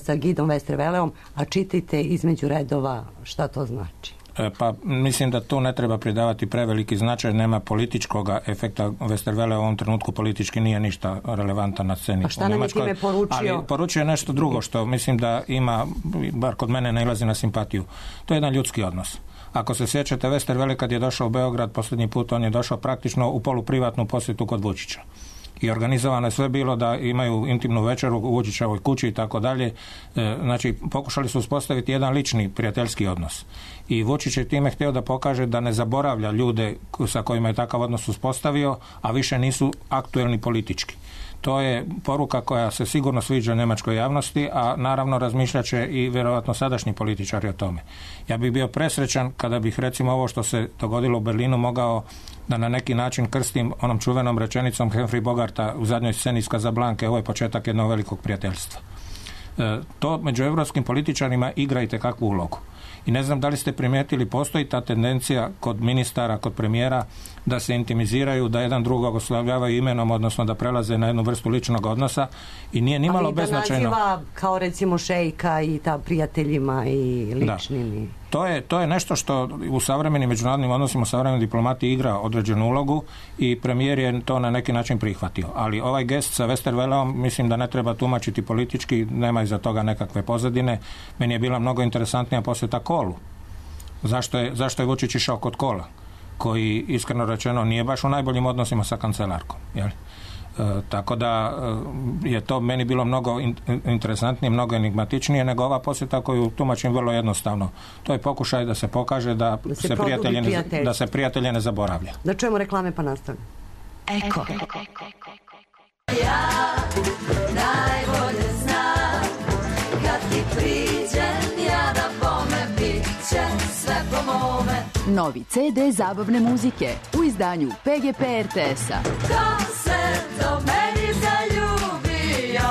sa Gidom Westerveleom, a čitajte između redova šta to znači? Pa mislim da tu ne treba pridavati preveliki značaj, nema političkog efekta. Westerwelle u ovom trenutku politički nije ništa relevantan na sceni. A šta nam je time poručio? Ali poručuje nešto drugo što mislim da ima, bar kod mene nailazi na simpatiju. To je jedan ljudski odnos. Ako se sjećate, Westerwelle kad je došao u Beograd posljednji put, on je došao praktično u poluprivatnu posjetu kod Vučića. I organizovano je sve bilo da imaju intimnu večeru u Vučićevoj kući i tako dalje. Znači, pokušali su uspostaviti jedan lični prijateljski odnos. I Vučić je time htio da pokaže da ne zaboravlja ljude sa kojima je takav odnos uspostavio, a više nisu aktuelni politički. To je poruka koja se sigurno sviđa njemačkoj javnosti, a naravno razmišljat će i vjerojatno sadašnji političari o tome. Ja bih bio presrećan kada bih recimo ovo što se dogodilo u Berlinu mogao da na neki način krstim onom čuvenom rečenicom Humphrey Bogarta u zadnjoj sceni iz Casablanke, ovo je početak jednog velikog prijateljstva. To među europskim političarima igra itekakvu ulogu. I ne znam da li ste primijetili, postoji ta tendencija kod ministara, kod premijera da se intimiziraju, da jedan drugog oslavljavaju imenom, odnosno da prelaze na jednu vrstu ličnog odnosa i nije nimalo beznačajno. Ali da naziva kao recimo šejka i ta prijateljima i ličnim. To je nešto što u savremenim međunarodnim odnosima, u savremenoj diplomatiji igra određenu ulogu i premijer je to na neki način prihvatio. Ali ovaj gest sa Westerwelleom mislim da ne treba tumačiti politički, nema iza toga nekakve pozadine. Meni je bila mnogo interesantnija posjeta Kolu. Zašto je Vučić išao kod Kola? Koji, iskreno rečeno, nije baš u najboljim odnosima sa kancelarkom. Jel? Tako da je to meni bilo mnogo interesantnije, mnogo enigmatičnije nego ova posjeta koju tumačim vrlo jednostavno. To je pokušaj da se pokaže da se prijatelje ne zaboravlja. Da čujemo reklame pa nastavljamo. Eko. Ja najbolje znam kad ti priđem ja da bome bit će sve po mome. Novi CD zabavne muzike u izdanju PGP RTS-a. Ko se do meni zaljubio?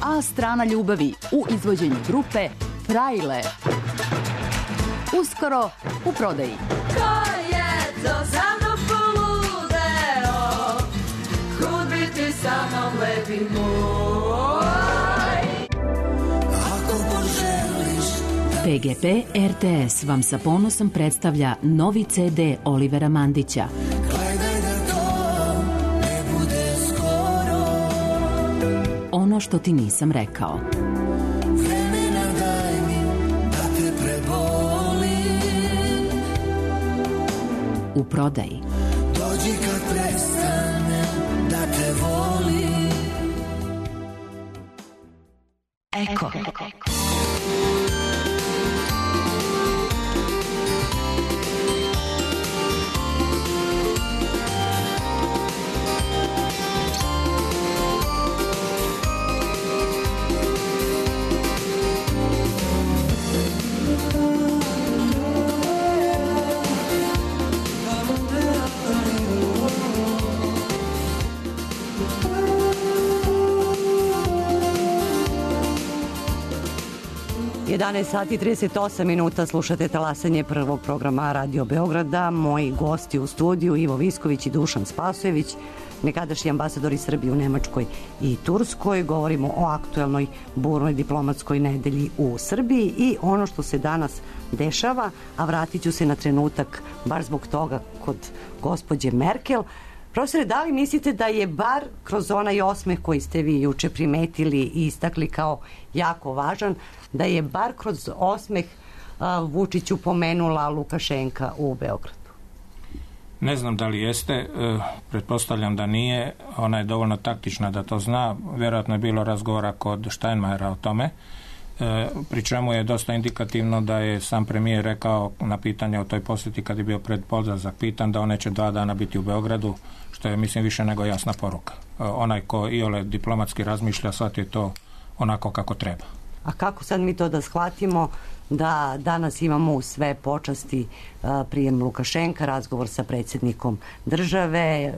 A strana ljubavi u izvođenju grupe Frajle. Uskoro u prodaji. Ko je to za mnom poludeo? Kud bi ti sa mnom lepi moj? Ako poželiš PGP RTS vam sa ponosom predstavlja novi CD Olivera Mandića. gledaj da to ne bude skoro. Ono što ti nisam rekao. Vremena daj mi da te prebolim. U prodaji. Dođi kad prestanem da te volim. Eko. Sati 38 minuta, slušate talasanje prvog programa Radio Beograda. Moji gosti u studiju Ivo Visković i Dušan Spasojević, nekadašnji ambasadori Srbije u Nemačkoj i Turskoj. Govorimo o aktuelnoj burnoj diplomatskoj nedelji u Srbiji i ono što se danas dešava, a vratit ću se na trenutak baš zbog toga kod gospođe Merkel. Profesore, da li mislite da je bar kroz onaj osmeh koji ste vi juče primetili i istakli kao jako važan, da je bar kroz osmeh Vučiću pomenula Lukašenka u Beogradu? Ne znam da li jeste, pretpostavljam da nije, ona je dovoljno taktična da to zna, vjerojatno je bilo razgovora kod Steinmeiera o tome, pri čemu je dosta indikativno da je sam premijer rekao na pitanje o toj posjeti kad je bio pred odlazak pitan da on neće 2 dana biti u Beogradu, što je mislim više nego jasna poruka. Onaj ko iole diplomatski razmišlja, shvati je to onako kako treba. A kako sad mi to da shvatimo da danas imamo u sve počasti prijem Lukašenka, razgovor sa predsjednikom države,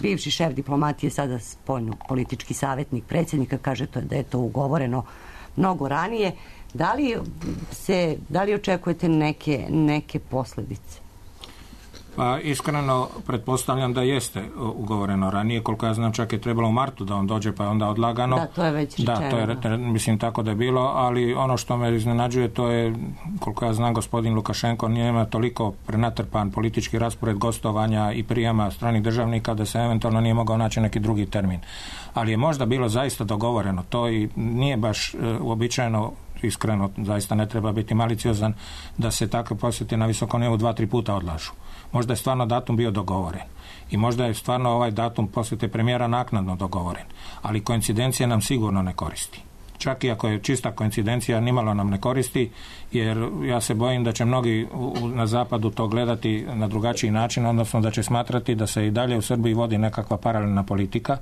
bivši šef diplomatije, sada spoljno-politički savjetnik predsjednika, kaže da je to ugovoreno mnogo ranije. Da li očekujete neke posljedice? Pa iskreno pretpostavljam da jeste ugovoreno ranije, koliko ja znam čak je trebalo u martu da on dođe, pa je onda odlagano. Da, to je već rečeno. Da, to je, mislim, tako da je bilo, ali ono što me iznenađuje, to je, koliko ja znam, gospodin Lukašenko nema toliko prenatrpan politički raspored gostovanja i prijama stranih državnika da se eventualno nije mogao naći neki drugi termin. Ali je možda bilo zaista dogovoreno, to i nije baš uobičajeno, iskreno, zaista ne treba biti maliciozan da se takve posjete na visokom nivou 2-3 puta odlažu. Možda je stvarno datum bio dogovoren i možda je stvarno ovaj datum posjete premijera naknadno dogovoren, ali koincidencija nam sigurno ne koristi. Čak i ako je čista koincidencija, nimalo nam ne koristi, jer ja se bojim da će mnogi na zapadu to gledati na drugačiji način, odnosno da će smatrati da se i dalje u Srbiji vodi nekakva paralelna politika.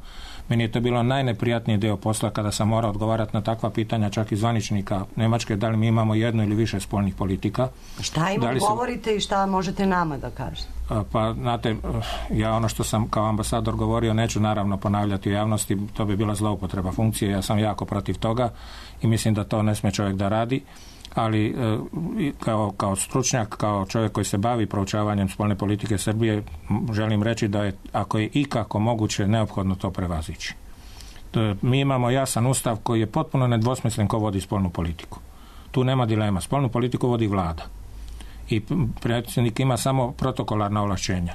Meni je to bilo najneprijatniji dio posla kada sam morao odgovarati na takva pitanja, čak i zvaničnika Nemačke, da li mi imamo jednu ili više spoljnih politika. Šta im govorite i šta možete nama da kažete? Pa, znate, ja ono što sam kao ambasador govorio neću naravno ponavljati u javnosti, to bi bila zloupotreba funkcije, ja sam jako protiv toga i mislim da to ne smije čovjek da radi, ali kao stručnjak, kao čovjek koji se bavi proučavanjem spoljne politike Srbije, želim reći da je, ako je ikako moguće, neophodno to prevazići. Mi imamo jasan ustav koji je potpuno nedvosmislen ko vodi spoljnu politiku. Tu nema dilema. Spoljnu politiku vodi vlada. I predsjednik ima samo protokolarna ovlašćenja.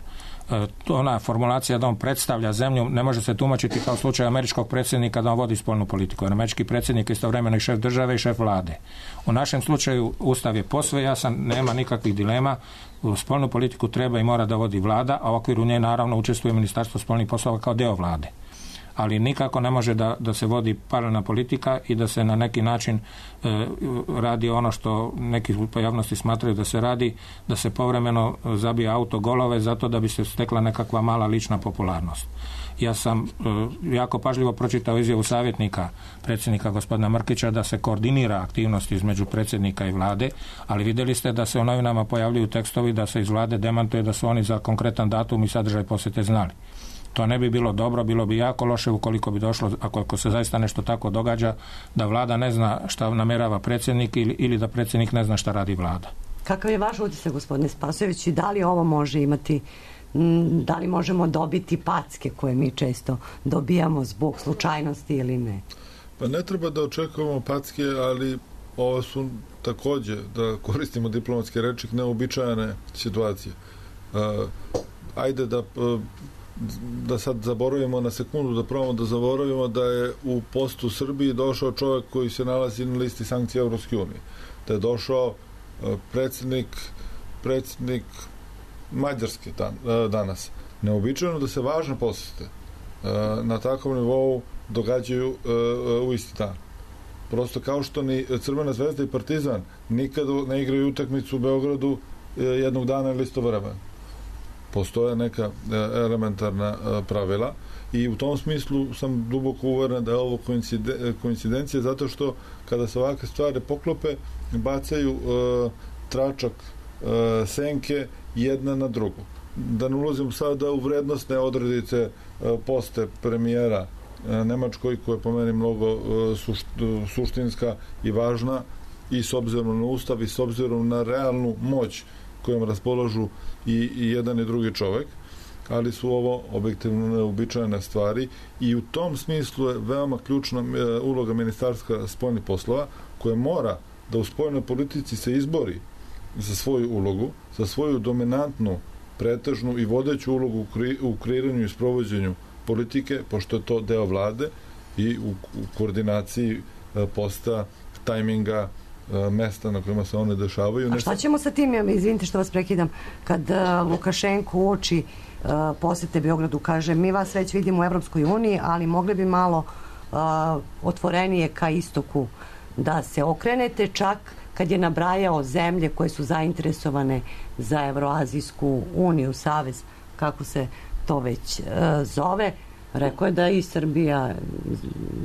Ona formulacija da on predstavlja zemlju ne može se tumačiti kao slučaj američkog predsjednika da on vodi spoljnu politiku. Američki predsjednik je istovremeno i šef države i šef vlade. U našem slučaju ustav je posve jasan, nema nikakvih dilema. U spoljnu politiku treba i mora da vodi vlada, a u okviru nje naravno učestvuje Ministarstvo spoljnih poslova kao deo vlade. Ali nikako ne može da se vodi paralelna politika i da se na neki način radi ono što neki u javnosti smatraju da se radi, da se povremeno zabija autogolove zato da bi se stekla nekakva mala lična popularnost. Ja sam jako pažljivo pročitao izjavu savjetnika predsjednika gospodina Mrkića da se koordinira aktivnosti između predsjednika i vlade, ali vidjeli ste da se u novinama pojavljuju tekstovi da se iz vlade demantuje da su oni za konkretan datum i sadržaj posjete znali. To ne bi bilo dobro, bilo bi jako loše ukoliko bi došlo, ako se zaista nešto tako događa, da vlada ne zna šta namjerava predsjednik ili da predsjednik ne zna šta radi vlada. Kakav je vaš utisak, gospodine Spasojević, i da li ovo može imati, da li možemo dobiti packe koje mi često dobijamo zbog slučajnosti ili ne? Pa ne treba da očekujemo packe, ali ovo su takođe, da koristimo diplomatske reči, neobičajene situacije. Ajde da sad zaboravimo na sekundu, da probamo da zaboravimo da je u postu Srbiji došao čovjek koji se nalazi na listi sankcija Evropske unije. Da je došao predsjednik Mađarske danas. Neobičajno da se važne posjete na takvom nivou događaju u isti dan. Prosto kao što ni Crvena zvezda i Partizan nikada ne igraju utakmicu u Beogradu jednog dana ili istovremeno. Postoje neka elementarna pravila i u tom smislu sam duboko uveren da je ovo koincidencija, zato što kada se ovakve stvari poklope, bacaju tračak senke jedna na drugu. Da ne ulazim sada u vrednostne odredice poste premijera Nemačkoj, koja je po meni mnogo suštinska i važna i s obzirom na ustav i s obzirom na realnu moć kojom raspolažu i jedan i drugi čovek, ali su ovo objektivno neobičajne stvari i u tom smislu je veoma ključna uloga Ministarstva spoljnih poslova, koja mora da u spoljnoj politici se izbori za svoju ulogu, za svoju dominantnu, pretežnu i vodeću ulogu u kreiranju i sprovođenju politike, pošto je to deo vlade i u koordinaciji posta, tajminga, mesta na kojima se one dešavaju. A šta ćemo sa tim, izvinite što vas prekidam, kad Lukašenko uoči posete Beogradu, kaže mi vas već vidimo u Evropskoj uniji, ali mogli bi malo otvorenije ka istoku da se okrenete, čak kad je nabrajao zemlje koje su zainteresovane za Evroazijsku uniju, savez, kako se to već zove, rekao je da i Srbija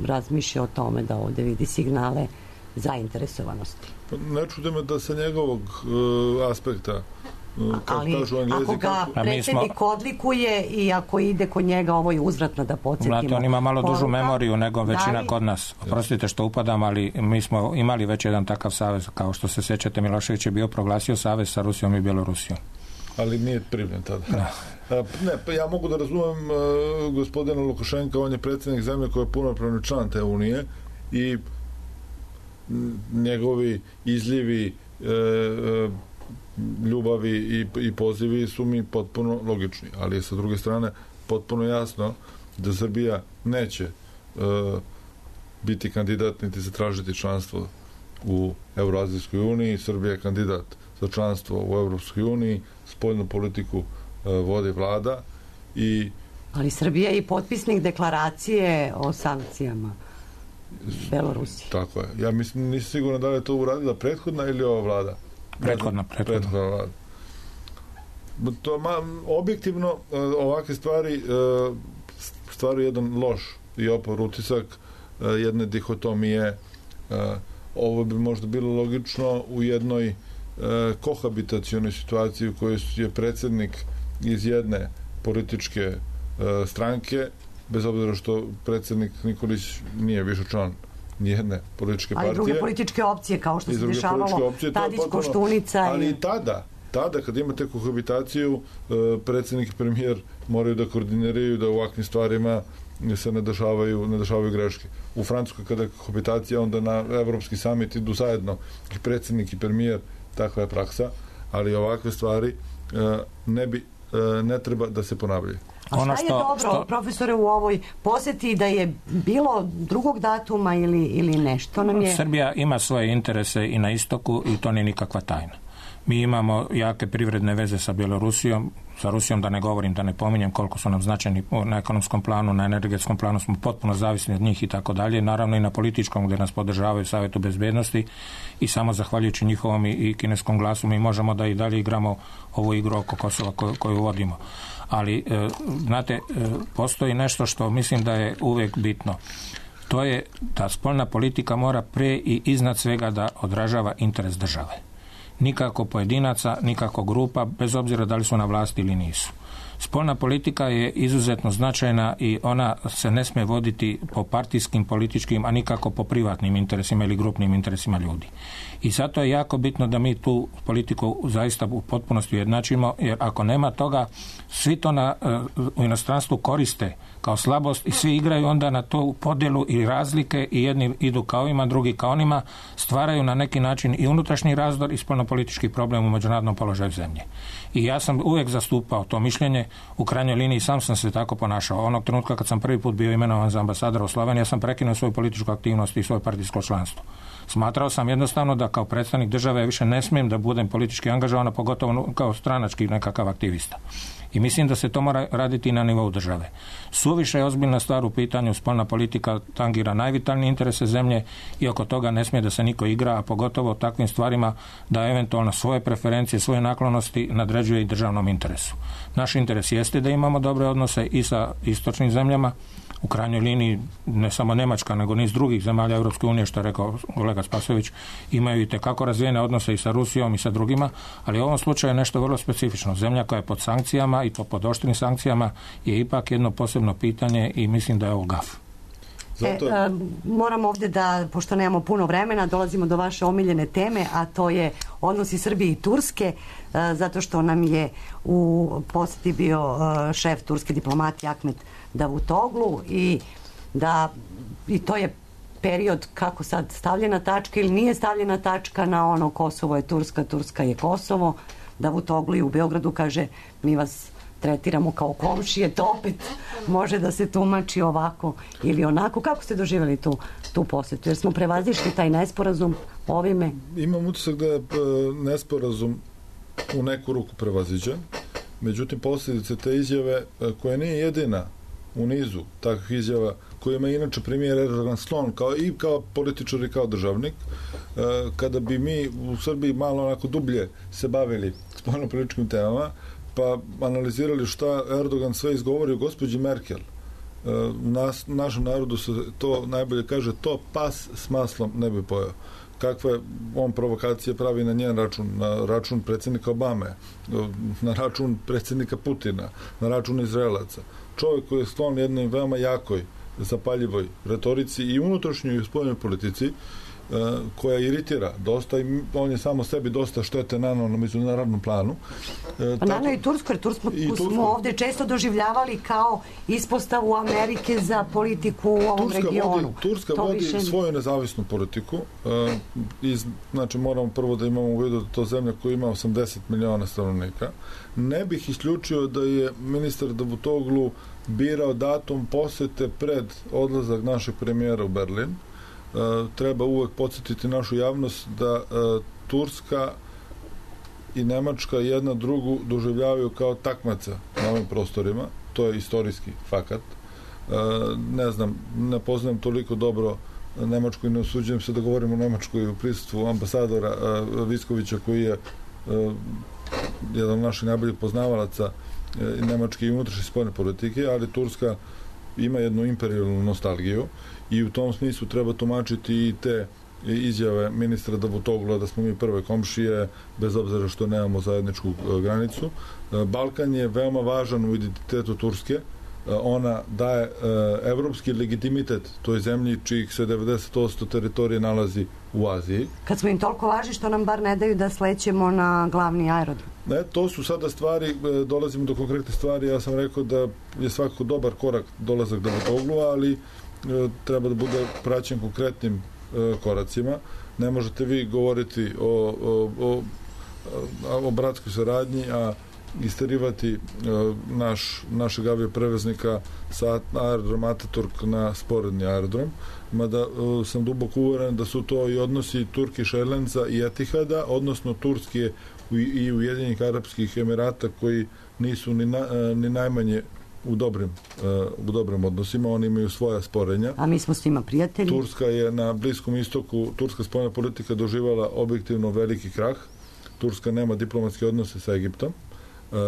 razmišlja o tome da ovde vidi signale zainteresovanosti. Ne čude me da sa njegovog aspekta, ali ako ga predsjednik odlikuje i ako ide kod njega, ovo je uzvratno da podsjetimo. Znate, on ima malo dužu memoriju nego većina kod nas. Oprostite što upadam, ali mi smo imali već jedan takav savez, kao što se sjećate, Milošević je bio proglasio savez sa Rusijom i Bjelorusijom. ali nije primljen tada. Ne, pa ja mogu da razumem gospodina Lukašenka, on je predsjednik zemlje koja je punopravni član te unije i njegovi izlivi ljubavi i pozivi su mi potpuno logični, ali je sa druge strane potpuno jasno da Srbija neće biti kandidat niti zatražiti članstvo u Evroazijskoj uniji. Srbija je kandidat za članstvo u Evropskoj uniji, spoljnu politiku vodi vlada ali Srbija je i potpisnik deklaracije o sankcijama Belorusiji. Tako je. Ja mislim, nisam sigurno da li je to uradila prethodna ili ova vlada. Prethodna vlada. Objektivno ovakve stvari stvaraju jedan loš i opor utisak jedne dihotomije. Ovo bi možda bilo logično u jednoj kohabitacionoj situaciji u kojoj je predsjednik iz jedne političke stranke, bez obzira što predsjednik Nikolić nije više član nijedne političke partije. Ali druge političke opcije, kao što se dešavalo Tadić, Koštunica. Ali i tada kad imate kohabitaciju, predsjednik i premijer moraju da koordiniraju da u ovakvim stvarima se ne dešavaju greške. U Francuskoj kada je kohabitacija, onda na Evropski samit idu zajedno i predsjednik i premijer, takva je praksa, ali ovakve stvari ne treba da se ponavljaju. A šta je dobro, profesore, u ovoj posjeti, da je bilo drugog datuma ili nešto nam je... Srbija ima svoje interese i na istoku i to nije nikakva tajna. Mi imamo jake privredne veze sa Bjelorusijom, sa Rusijom da ne govorim, da ne pominjem koliko su nam značajni na ekonomskom planu, na energetskom planu smo potpuno zavisni od njih i tako dalje, naravno i na političkom gdje nas podržavaju Savjetu bezbednosti i samo zahvaljujući njihovom i kineskom glasu mi možemo da i dalje igramo ovu igru oko Kosova koju vodimo. Ali, znate, postoji nešto što mislim da je uvijek bitno. To je da spoljna politika mora pre i iznad svega da odražava interes države. Nikako pojedinaca, nikako grupa, bez obzira da li su na vlasti ili nisu. Spoljna politika je izuzetno značajna i ona se ne smije voditi po partijskim, političkim, a nikako po privatnim interesima ili grupnim interesima ljudi. I zato je jako bitno da mi tu politiku zaista u potpunosti ujednačimo, jer ako nema toga, svi to u inostranstvu koriste kao slabost i svi igraju onda na tu podjelu i razlike i jedni idu kao ima, drugi kao onima, stvaraju na neki način i unutrašnji razdor i spoljnopolitički problem u međunarodnom položaju zemlje. I ja sam uvijek zastupao to mišljenje, u krajnjoj liniji sam se tako ponašao. Onog trenutka kad sam prvi put bio imenovan za ambasadora u Sloveniji, ja sam prekinuo svoju političku aktivnost i svoje partijsko članstvo. Smatrao sam jednostavno da kao predstavnik države više ne smijem da budem politički angažovan, pogotovo kao stranački nekakav aktivista. I mislim da se to mora raditi na nivou države. Suviše je ozbiljna stvar u pitanju, spoljna politika tangira najvitalnije interese zemlje i oko toga ne smije da se niko igra, a pogotovo takvim stvarima da eventualno svoje preferencije, svoje naklonosti nadređuje i državnom interesu. Naš interes jeste da imamo dobre odnose i sa istočnim zemljama, u krajnjoj liniji ne samo Njemačka, nego niz drugih zemalja Europske unije, što je rekao kolega Spasojević, imaju i tekako razvijene odnose i sa Rusijom i sa drugima, ali u ovom slučaju je nešto vrlo specifično. Zemlja koja je pod sankcijama i pod oštrim sankcijama je ipak jedno posebno pitanje i mislim da je ovo gaf. Moram ovdje da, pošto nemamo puno vremena, dolazimo do vaše omiljene teme, a to je odnosi Srbije i Turske, zato što nam je u posjeti bio šef turske diplomatije Ahmet Davutoglu i to je period kako sad stavljena tačka ili nije stavljena tačka na ono Kosovo je Turska, Turska je Kosovo. Davutoglu u Beogradu kaže mi vas tretiramo kao komšije, to opet može da se tumači ovako ili onako. Kako ste doživjeli tu posjetu? Jer smo prevazišli taj nesporazum ovime? Imam utisak da je nesporazum u neku ruku prevaziđen. Međutim, posljedice te izjave, koja nije jedina u nizu takvih izjava kojima je inače premijer Erdogan sklon kao političar i kao državnik, kada bi mi u Srbiji malo onako dublje se bavili spoljnopolitičkim temama, pa analizirali šta Erdogan sve izgovori o gospođi Merkel. Našem narodu se to najbolje kaže, to pas s maslom ne bi pojeo. Kakve on provokacije pravi na njen račun, na račun predsjednika Obame, na račun predsjednika Putina, na račun Izraelaca. Čovjek koji je sklon jednoj veoma jakoj zapaljivoj retorici i unutrašnjoj i spoljnoj politici koja iritira dosta i on je samo sebi dosta štete nanao na međunarodnom planu. Pa nanao i Tursku, jer Tursku smo ovde često doživljavali kao ispostavu Amerike za politiku u ovom regionu. Turska vodi svoju nezavisnu politiku. Znači moramo prvo da imamo u vidu da to zemlja koja ima 80 miliona stanovnika. Ne bih isključio da je ministar Davutoglu birao datum posete pred odlazak našeg premijera u Berlin. Treba uvek podsjetiti našu javnost da Turska i Nemačka jedna drugu doživljavaju kao takmaca na ovim prostorima. To je istorijski fakat. Ne znam, ne poznajem toliko dobro Nemačku i ne usuđujem se da govorim o Nemačkoj u prisustvu ambasadora Viskovića, koji je jedan od naših najboljih poznavalaca nemačke i unutrašnje spoljne politike, ali Turska ima jednu imperijalnu nostalgiju i u tom smislu treba tumačiti i te izjave ministra Davutogla da smo mi prve komšije, bez obzira što nemamo zajedničku granicu. Balkan je veoma važan u identitetu Turske. Ona daje evropski legitimitet toj zemlji čijih se 90% teritorije nalazi u Aziji. Kad smo im toliko važni, što nam bar ne daju da slećemo na glavni aerodrom? Ne, to su sada stvari, dolazimo do konkretne stvari. Ja sam rekao da je svakako dobar korak dolazak Davutoglu, ali treba da bude praćen konkretnim koracima. Ne možete vi govoriti o bratskoj saradnji, a isterivati našeg avioprevoznika sa aerodroma Ataturk na sporedni aerodrom, mada sam duboko uveren da su to i odnosi Turkish Airlinesa i Etihada, odnosno Turske i Ujedinjenih Arapskih Emirata, koji nisu ni najmanje u dobrim odnosima. Oni imaju svoja sporenja. A mi smo s njima prijatelji. Turska je na Bliskom istoku, turska spoljna politika doživala objektivno veliki krah. Turska nema diplomatske odnose sa Egiptom,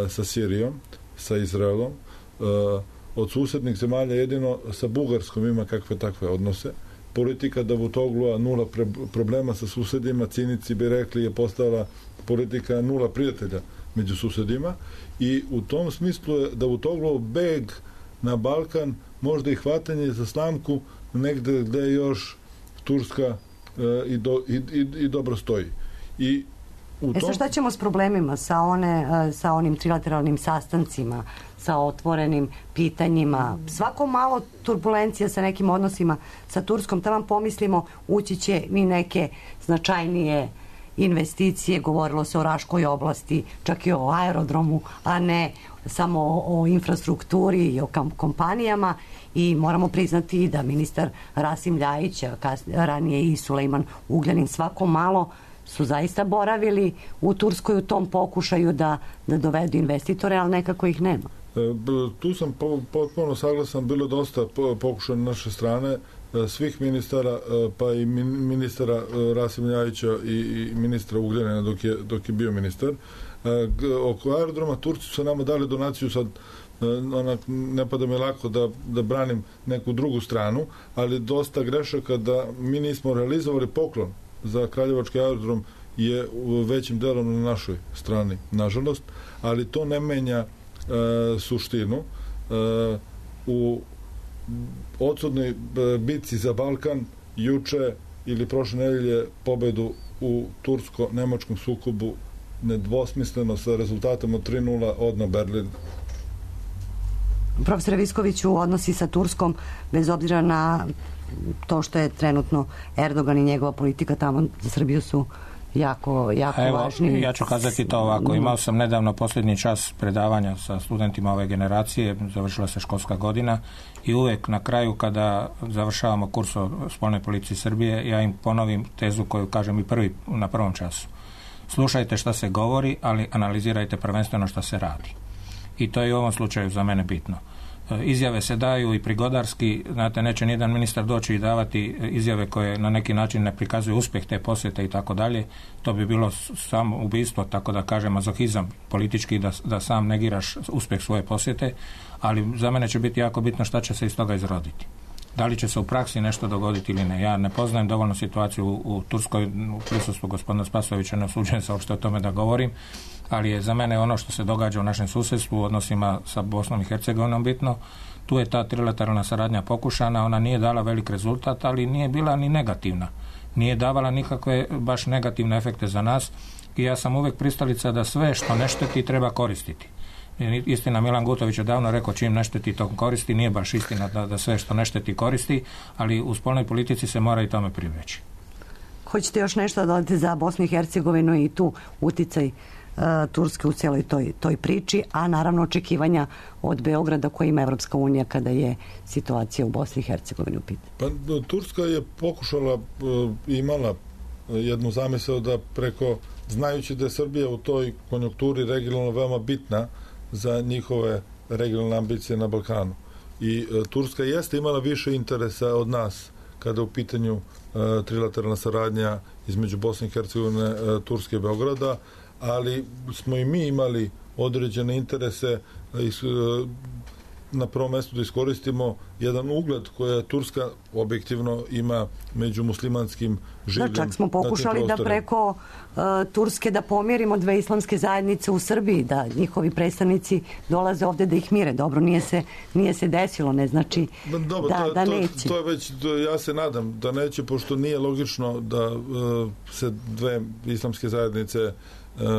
sa Sirijom, sa Izraelom. Od susednih zemalja jedino sa Bugarskom ima kakve takve odnose. Politika Davutoglua nula problema sa susedima, cinici bi rekli, je postala politika nula prijatelja među susedima i u tom smislu je Davutogluov beg na Balkan možda i hvatanje za slamku negde gde još Turska i dobro stoji. I sad šta ćemo s problemima sa onim trilateralnim sastancima, sa otvorenim pitanjima? Svako malo turbulencija sa nekim odnosima sa Turskom, tamo pomislimo ući će i neke značajnije investicije, govorilo se o Raškoj oblasti, čak i o aerodromu, a ne samo o infrastrukturi i o kompanijama, i moramo priznati da ministar Rasim Ljajić, ranije i Sulejman Ugljanin, svako malo su zaista boravili u Turskoj u tom pokušaju da dovedu investitore, ali nekako ih nema. Tu sam potpuno saglasan, bilo dosta pokušaja na naše strane, svih ministara, pa i ministara Rasim Ljajića i ministra Ugljanina dok je bio ministar. Oko aerodroma Turci su nama dali donaciju, sad ne pada mi lako da branim neku drugu stranu, ali dosta grešaka da mi nismo realizovali poklon za Kraljevački aerodrom je u većim delom na našoj strani, nažalost, ali to ne menja suštinu. U odsudnoj bitci za Balkan juče ili prošle nedelje pobedu u tursko-nemačkom sukobu nedvosmisleno sa rezultatom od 3:0 odno Berlin. Profesore Viskoviću, odnosi sa Turskom, bez obzira na to što je trenutno Erdogan i njegova politika tamo, za Srbiju su jako važni. Ja ću kazati to ovako. Imao sam nedavno posljednji čas predavanja sa studentima ove generacije, završila se školska godina i uvek na kraju kada završavamo kurs o spoljnoj politici Srbije, ja im ponovim tezu koju kažem i na prvom času. Slušajte šta se govori, ali analizirajte prvenstveno šta se radi. I to je u ovom slučaju za mene bitno. Izjave se daju i prigodarski, znate, neće nijedan ministar doći i davati izjave koje na neki način ne prikazuju uspjeh te posjete i tako dalje. To bi bilo samo ubistvo, tako da kažem, mazohizam politički, da sam negiraš uspjeh svoje posjete, ali za mene će biti jako bitno šta će se iz toga izroditi. Da li će se u praksi nešto dogoditi ili ne. Ja ne poznajem dovoljno situaciju u Turskoj, u prisustvu gospodina Spasojevića, ne usuđujem se uopšte o tome da govorim, ali je za mene ono što se događa u našem susjedstvu, u odnosima sa Bosnom i Hercegovinom bitno. Tu je ta trilateralna saradnja pokušana, ona nije dala velik rezultat, ali nije bila ni negativna. Nije davala nikakve baš negativne efekte za nas i ja sam uvek pristalica da sve što ne šteti treba koristiti. Istina, Milan Gutović je davno rekao čim ne šteti to koristi, nije baš istina da sve što ne šteti koristi, ali u spoljnoj politici se mora i tome pribjeći. Hoćete još nešto dodati za Bosnu i Hercegovinu i tu uticaj Turske u cijeloj toj priči, a naravno očekivanja od Beograda koje ima Evropska unija kada je situacija u Bosni i Hercegovini u pitanju? Pa, Turska je pokušala, imala jednu zamisao da preko, znajući da je Srbija u toj konjunkturi regionalno veoma bitna za njihove regionalne ambicije na Balkanu. I Turska jeste imala više interesa od nas kada u pitanju trilateralna saradnja između Bosne i Hercegovine, Turske i Beograda, ali smo i mi imali određene interese na prvom mjestu da iskoristimo jedan ugled koja Turska objektivno ima među muslimanskim življem. Čak smo pokušali da preko Turske da pomirimo dve islamske zajednice u Srbiji, da njihovi predstavnici dolaze ovdje da ih mire. Dobro, nije se desilo, ne znači da neće. To je već, ja se nadam da neće, pošto nije logično da se dve islamske zajednice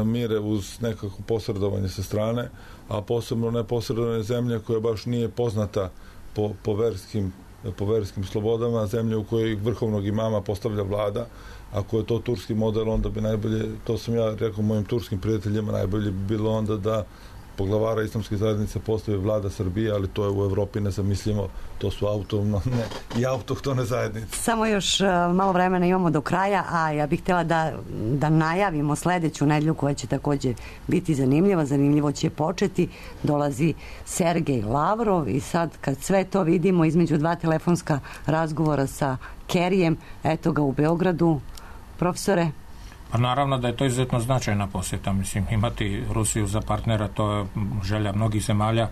mire uz nekako posredovanje sa strane, a posebno neposredovanje zemlje koja baš nije poznata po verskim slobodama, zemlje u kojoj vrhovnog imama postavlja vlada. Ako je to turski model, onda bi najbolje, to sam ja rekao mojim turskim prijateljima, najbolje bi bilo onda da poglavara islamske zajednice postavi vlada Srbije, ali to je u Evropi nezamislivo, to su autonomne i autohtone zajednice. Samo još malo vremena imamo do kraja, a ja bih htjela da najavimo sljedeću nedjelju koja će također biti zanimljiva. Zanimljivo će početi, dolazi Sergej Lavrov i sad kad sve to vidimo između dva telefonska razgovora sa Kerijem, eto ga u Beogradu. Profesore? Pa naravno da je to izuzetno značajna posjeta. Mislim, imati Rusiju za partnera, to je želja mnogih zemalja.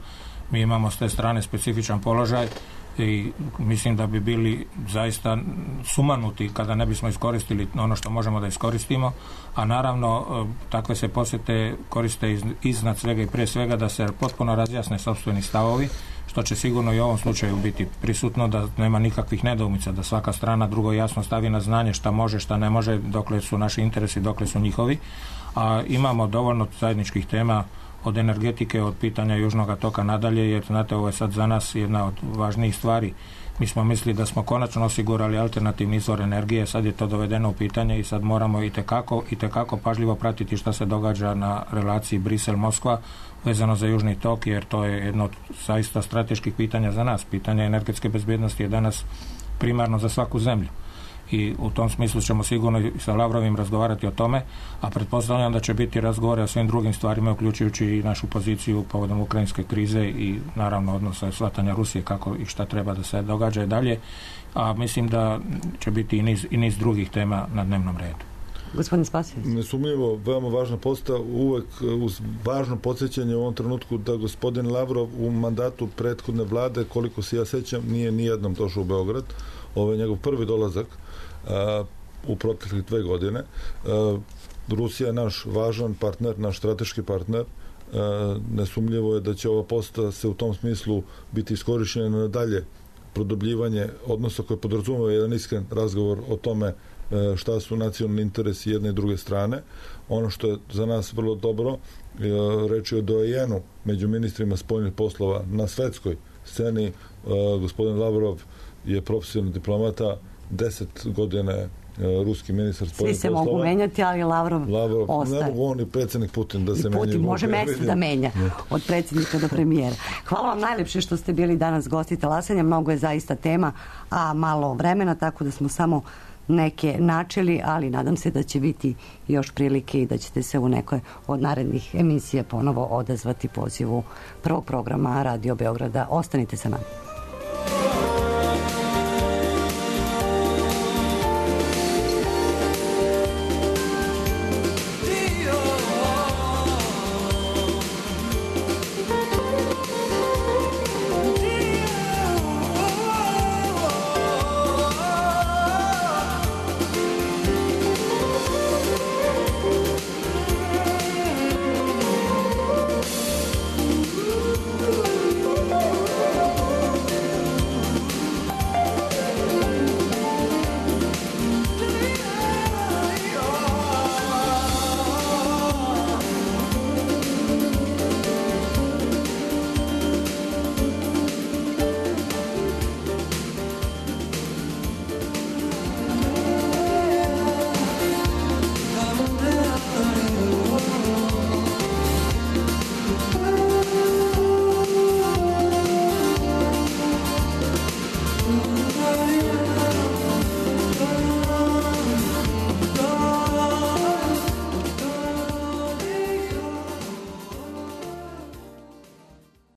Mi imamo s te strane specifičan položaj i mislim da bi bili zaista sumanuti kada ne bismo iskoristili ono što možemo da iskoristimo, a naravno takve se posjete koriste iznad svega i prije svega da se potpuno razjasne sopstveni stavovi, što će sigurno i u ovom slučaju biti prisutno, da nema nikakvih nedoumica, da svaka strana drugo jasno stavi na znanje šta može, šta ne može, dokle su naši interesi, dokle su njihovi, a imamo dovoljno zajedničkih tema od energetike, od pitanja Južnog toka nadalje, jer znate, ovo je sad za nas jedna od važnijih stvari. Mi smo mislili da smo konačno osigurali alternativni izvor energije, sad je to dovedeno u pitanje i sad moramo itekako pažljivo pratiti šta se događa na relaciji Brisel-Moskva vezano za Južni tok, jer to je jedno od zaista strateških pitanja za nas. Pitanje energetske bezbjednosti je danas primarno za svaku zemlju. I u tom smislu ćemo sigurno i sa Lavrovim razgovarati o tome, a pretpostavljam da će biti razgovore o svim drugim stvarima, uključujući i našu poziciju povodom ukrajinske krize i naravno odnosa shvatanja Rusije kako i šta treba da se događa i dalje, a mislim da će biti i niz drugih tema na dnevnom redu. Gospodin Spasijević. Nesumnjivo, veoma važna posta, uvek uz važno podsjećanje u ovom trenutku da gospodin Lavrov u mandatu prethodne vlade, koliko se ja sećam, nije nijednom došao u Beograd. Ovo je njegov prvi dolazak u proteklih 2 godine. Rusija je naš važan partner, naš strateški partner. Nesumljivo je da će ova posta se u tom smislu biti iskorišćena na dalje produbljivanje odnosa koje podrazumeva jedan iskren razgovor o tome šta su nacionalni interesi jedne i druge strane. Ono što je za nas vrlo dobro, reč je o doajenu među ministrima spoljnih poslova na svetskoj sceni. Gospodin Lavrov je profesionalni diplomata, 10 godina ruski ministar spoljnih poslova. Svi se mogu menjati, ali Lavrov ostaje. Ne mogu on i predsjednik Putin da se menja. Može mjesto da menja od predsjednika do premijera. Hvala vam najlepše što ste bili danas gosti Talasanja. Mnogo je zaista tema, a malo vremena, tako da smo samo neke načeli, ali nadam se da će biti još prilike i da ćete se u nekoj od narednih emisija ponovo odazvati pozivu prvog programa Radio Beograda. Ostanite sa nama.